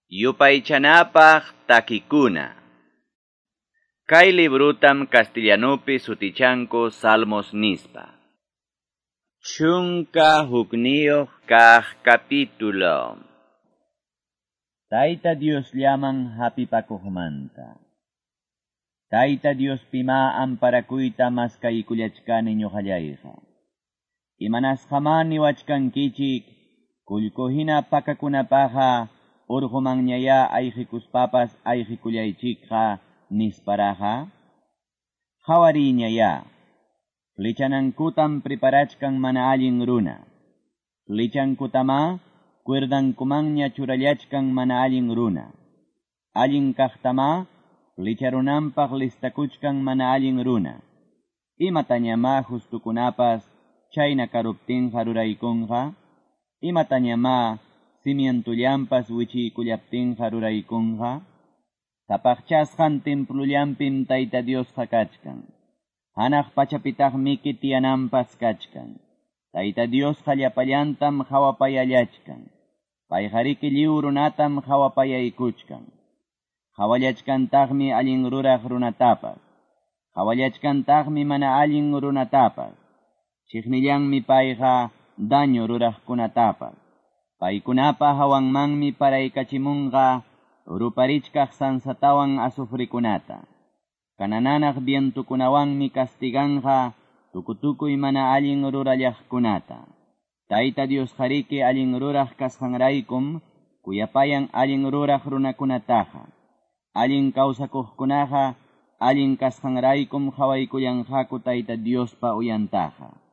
Yupaychanapaq takikuna. Kay librutam castellanupi sutichanku Salmos nispa. 11 kaq capítulo. Tayta Diosllaman hapipakuqmanta. Tayta Diospimá amparakuyta maskaykullachkani ñuqallayqa. Imanasqamá niwachkankichik, kullku hina pakakunapaqqa urqumanñayá ayqikuspapas ayqikullaychikqa nisparaqa. Qawariyñayá, flechanankutam preparachkan mana allin runa. Flechankutamá cuerdankumanña churallachkan mana allin runa. Allin kaqtamá flecharunanpaq listakuchkan mana allin runa. Imatañamá justukunapas chayna karuptinqa ruraykunqa? Imatañamá cimientullanpas wichiykullaptinqa ruraykunqa? Sapaqchasqan templullampim Tayta Diosqa kachkan. Hanaq pachapitaqmiki tiyananpas kachkan. Tayta Diosqa llapallantam qhawapayallachkan. Payqariki lliw runatam qhawapayaykuchkan. Qhawallachkantaqmi allin ruraq runatapas. Qhawallachkantaqmi mana allin runatapas. Chiqnillanmi payqa daño ruraqkunatapas. Paykunapa hawanmanmi paraykachimunqa ruparichkaq sansatawan azufrikunata. Kanananaq vientukunawanmi castiganqa tukutukuy mana allin rurallaqkunata. Tayta Diosqariki allin ruraq kasqanraykum kuyapayan allin ruraq runakunataqa. Allin kawsakuqkunaqa allin kasqanraykum qhawaykullanqaku Tayta Diospa uyantaqa.